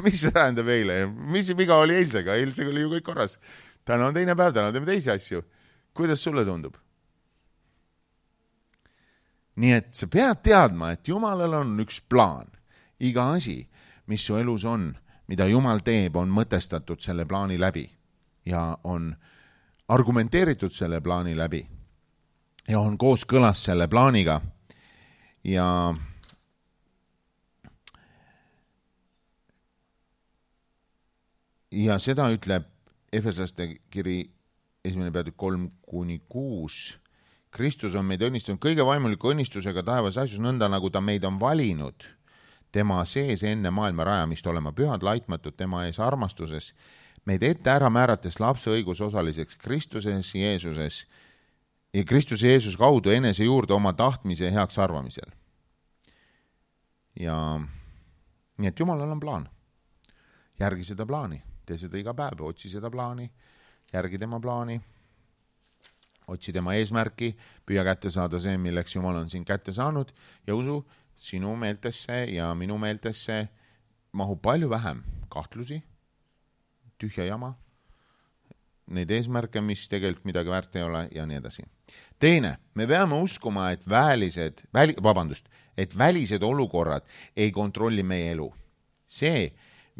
Speaker 1: mis see tähendab eile? Mis viga oli eilsega? Eilsega oli ju kõik korras. Täna on teine päev, täna teeme teisi asju. Kuidas sulle tundub? Nii et sa pead teadma, et Jumalal on üks plaan. Iga asi, mis su elus on, mida Jumal teeb, on mõtestatud selle plaani läbi ja on argumenteeritud selle plaani läbi ja on kooskõlas selle plaaniga ja ja seda ütleb Efeslaste kiri esimene peatükk kolm kuni kuus. Kristus on meid õnnistunud kõige vaimuliku õnnistusega taevas asjus nõnda, nagu ta meid on valinud tema sees enne maailma rajamist olema pühad laitmatud tema ees armastuses, meid ette ära määrates lapse õigusosaliseks Kristuses Jeesuses ja Kristuse Jeesus kaudu enese juurde oma tahtmise ja heaks arvamisel. Ja nii, et Jumalal on plaan. Järgi seda plaani, tee seda iga päev, otsi seda plaani, järgi tema plaani, otsi tema eesmärki, püüa kätte saada see, milleks Jumal on siin kätte saanud ja usu sinu meeltesse ja minu meeltesse mahub palju vähem kahtlusi, tühja jama, neid eesmärke, mis tegelikult midagi väärt ei ole ja nii edasi. Teine, me peame uskuma, et välised, väli, vabandust, et välised olukorrad ei kontrolli meie elu. See,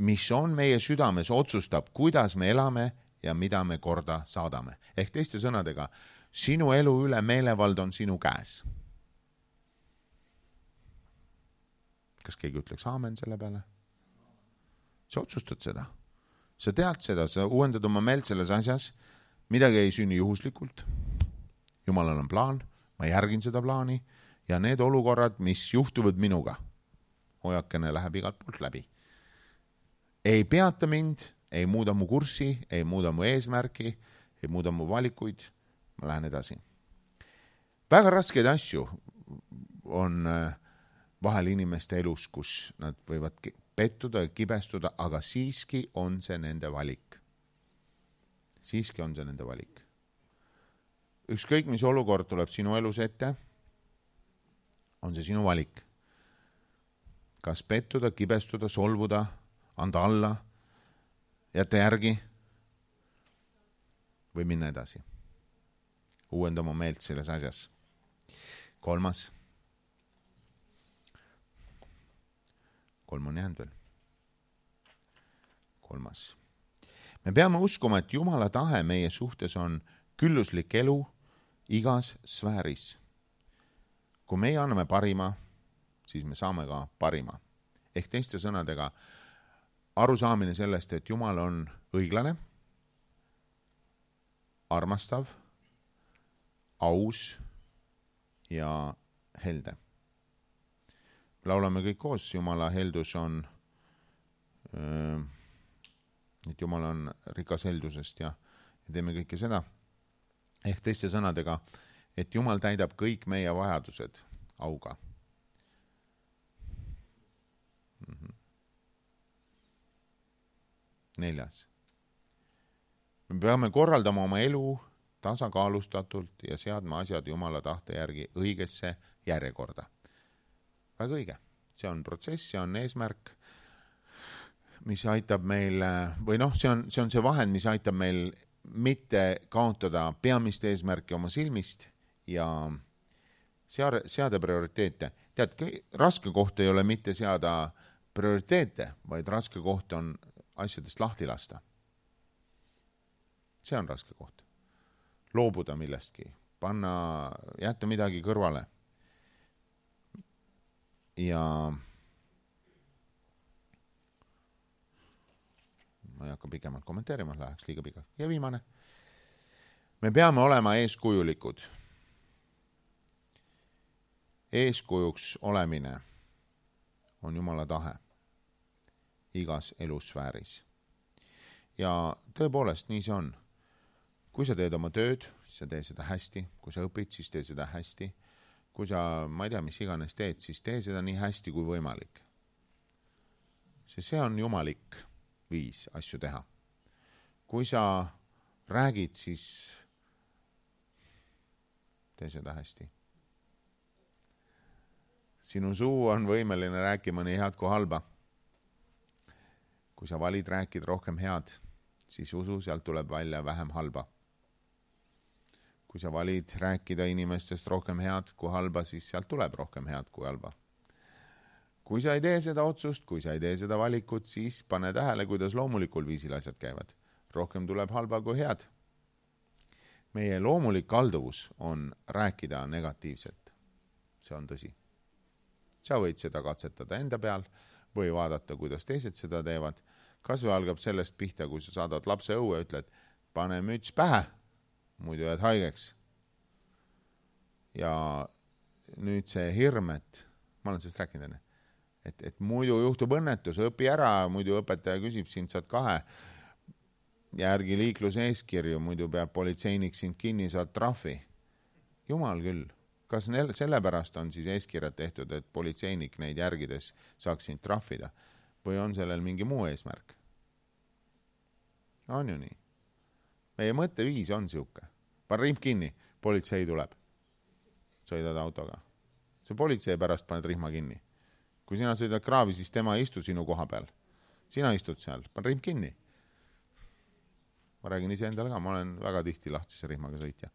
Speaker 1: mis on meie südames, otsustab, kuidas me elame ja mida me korda saadame. Ehk teiste sõnadega, sinu elu üle meelevald on sinu käes. Kas keegi ütleks aamen selle peale? Sa otsustad seda. Sa tead seda, sa uuendad oma meelt selles asjas, midagi ei sünni juhuslikult. Jumalal on plaan, ma järgin seda plaani ja need olukorrad, mis juhtuvad minuga, hoiakene läheb igalt poolt läbi. Ei peata mind, ei muuda mu kurssi, ei muuda mu eesmärki, ei muuda mu valikuid, ma lähen edasi. Väga raskeid asju on vahel inimeste elus, kus nad võivad pettuda ja kibestuda, aga siiski on see nende valik. Siiski on see nende valik. Ükskõik, mis olukord tuleb sinu elus ette, on see sinu valik. Kas pettuda, kibestuda, solvuda, anda alla, jätta järgi või minna edasi. Uuenda oma meelt selles asjas. Kolmas. Kolm on jäänud veel. Kolmas. Me peame uskuma, et Jumala tahe meie suhtes on külluslik elu igas sfääris. Kui meie anname parima, siis me saame ka parima. Ehk teiste sõnadega arusaamine sellest, et Jumal on õiglane, armastav, aus ja helde. Laulame kõik koos, Jumala heldus on, et Jumal on rikas heldusest ja teeme kõike seda. Ehk teiste sõnadega, et Jumal täidab kõik meie vajadused auga. Neljas. Me peame korraldama oma elu tasakaalustatult ja seadma asjad Jumala tahte järgi õigesse järjekorda. Väga õige. See on protsess, see on eesmärk, mis aitab meil, või noh, see on, see on see vahend, mis aitab meil mitte kaotada peamist eesmärki oma silmist ja seada, seada prioriteete. Tead, raske koht ei ole mitte seada prioriteete, vaid raske koht on asjadest lahti lasta. See on raske koht. Loobuda millestki, panna, jätta midagi kõrvale. Ja ma ei hakka pikemalt kommenteerima, läheks liiga pikalt. Ja viimane. Me peame olema eeskujulikud. Eeskujuks olemine on Jumala tahe igas elusfääris. Ja tõepoolest nii see on. Kui sa teed oma tööd, siis sa tee seda hästi. Kui sa õpid, siis tee seda hästi. Kui sa, ma ei tea, mis iganes teed, siis tee seda nii hästi kui võimalik. See, see on jumalik viis asju teha. Kui sa räägid, siis tee seda hästi. Sinu suu on võimeline rääkima nii head kui halba. Kui sa valid rääkid rohkem head, siis usu, sealt tuleb välja vähem halba. Kui sa valid rääkida inimestest rohkem head kui halba, siis sealt tuleb rohkem head kui halba. Kui sa ei tee seda otsust, kui sa ei tee seda valikut, siis pane tähele, kuidas loomulikul viisil asjad käivad. Rohkem tuleb halba kui head. Meie loomulik kalduvus on rääkida negatiivselt. See on tõsi. Sa võid seda katsetada enda peal või vaadata, kuidas teised seda teevad. Kas või algab sellest pihta, kui sa saadad lapse õue, ütled, pane müts pähe, muidu jääd haigeks. Ja nüüd see hirm, et ma olen sellest rääkinud enne, et, et muidu juhtub õnnetus, õpi ära, muidu õpetaja küsib sind, saad kahe, järgi liikluse eeskirju, muidu peab politseinik sind kinni, saad trahvi. Jumal küll. Kas sellepärast on siis eeskirjad tehtud, et politseinik neid järgides saaks sind trahvida? Või on sellel mingi muu eesmärk? On ju nii. Meie mõtteviis on siuke. Pane rihm kinni, politsei tuleb. Sõidad autoga. See politsei pärast paned rihma kinni. Kui sina sõidad kraavi, siis tema ei istu sinu koha peal. Sina istud seal, pane rihm kinni. Ma räägin ise endale ka, ma olen väga tihti lahtise rihmaga sõitja.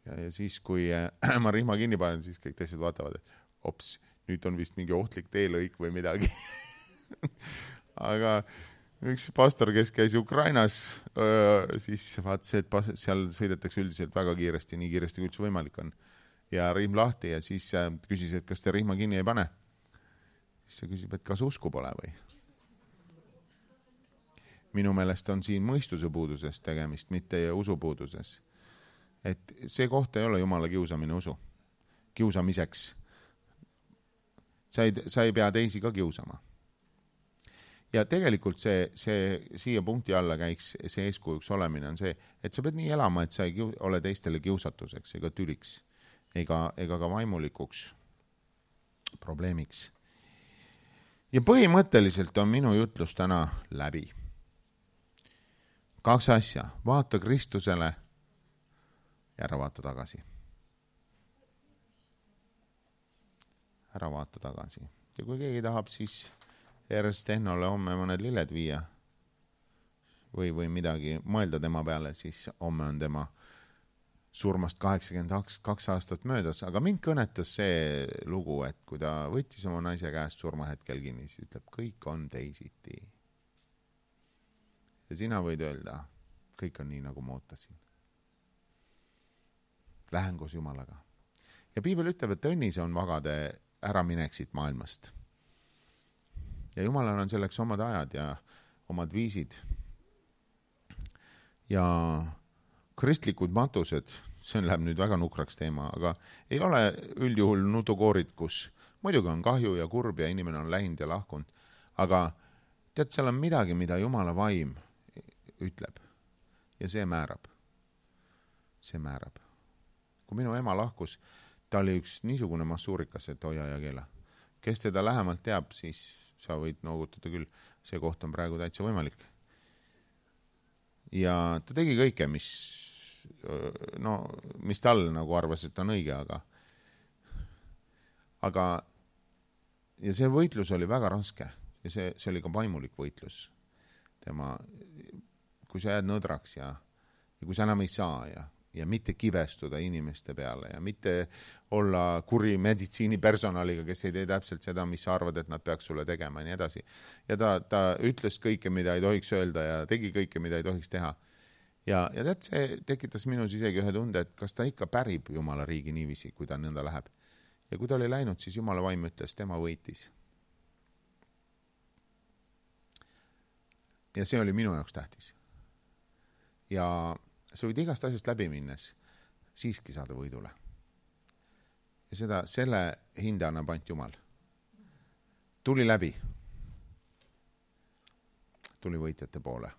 Speaker 1: Ja, ja siis, kui äh, ma rihma kinni panen, siis kõik teised vaatavad, et ops, nüüd on vist mingi ohtlik teelõik või midagi. Aga üks pastor, kes käis Ukrainas, öö, siis vaat see, et seal sõidetakse üldiselt väga kiiresti, nii kiiresti kui üldse võimalik on. Ja rihm lahti ja siis äh, küsis, et kas te rihma kinni ei pane. Siis see küsib, et kas usku pole või? Minu meelest on siin mõistuse puuduses tegemist, mitte usupuuduses. Et see koht ei ole Jumala kiusamine usu. Kiusamiseks. Sa ei, sa ei pea teisi ka kiusama. Ja tegelikult see, see siia punkti alla käiks see eeskujuks olemine on see, et sa pead nii elama, et sa ei kiu, ole teistele kiusatuseks ega tüliks ega, ega ka vaimulikuks probleemiks. Ja põhimõtteliselt on minu jutlus täna läbi. Kaks asja. Vaata Kristusele ja ära vaata tagasi. Ära vaata tagasi. Ja kui keegi tahab, siis Ernst Tehnole homme mõned lilled viia või, või midagi mõelda tema peale, siis homme on tema surmast kaheksakümmend kaks aastat möödas. Aga mind kõnetas see lugu, et kui ta võttis oma naise käest surmahetkel kinni, siis ütleb, kõik on teisiti. Ja sina võid öelda, kõik on nii, nagu ma ootasin. Lähen koos Jumalaga. Ja Piibel ütleb, et õnnis on vagade ära mineksid maailmast. Ja Jumalal on selleks omad ajad ja omad viisid. Ja kristlikud matused, see läheb nüüd väga nukraks teema, aga ei ole üldjuhul nutukoorid, kus muidugi on kahju ja kurb ja inimene on läinud ja lahkunud. Aga tead, seal on midagi, mida Jumala vaim ütleb. Ja see määrab. See määrab. Kui minu ema lahkus, ta oli üks niisugune massuurikas, et hoia ja keela. Kes teda lähemalt teab, siis sa võid noogutada küll. See koht on praegu täitsa võimalik. Ja ta tegi kõike, mis, no, mis tal nagu arvas, et on õige, aga, aga ja see võitlus oli väga raske ja see, see oli ka vaimulik võitlus. Tema, kui sa jääd nõdraks ja, ja kui sa enam ei saa ja, ja mitte kibestuda inimeste peale ja mitte olla kuri meditsiinipersonaliga, kes ei tee täpselt seda, mis sa arvad, et nad peaks sulle tegema ja nii edasi. Ja ta, ta ütles kõike, mida ei tohiks öelda ja tegi kõike, mida ei tohiks teha. Ja, ja tead, see tekitas minus isegi ühe tunde, et kas ta ikka pärib Jumala riigi niiviisi, kui ta nõnda läheb. Ja kui ta oli läinud, siis Jumala vaim ütles, tema võitis. Ja see oli minu jaoks tähtis. Ja sa võid igast asjast läbi minnes siiski saada võidule. Ja seda, selle hinda annab ainult Jumal. tuli läbi. Tuli võitjate poole.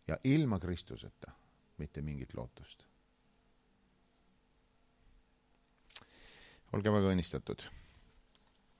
Speaker 1: Ja ilma Kristuseta mitte mingit lootust. Olge väga õnnistatud.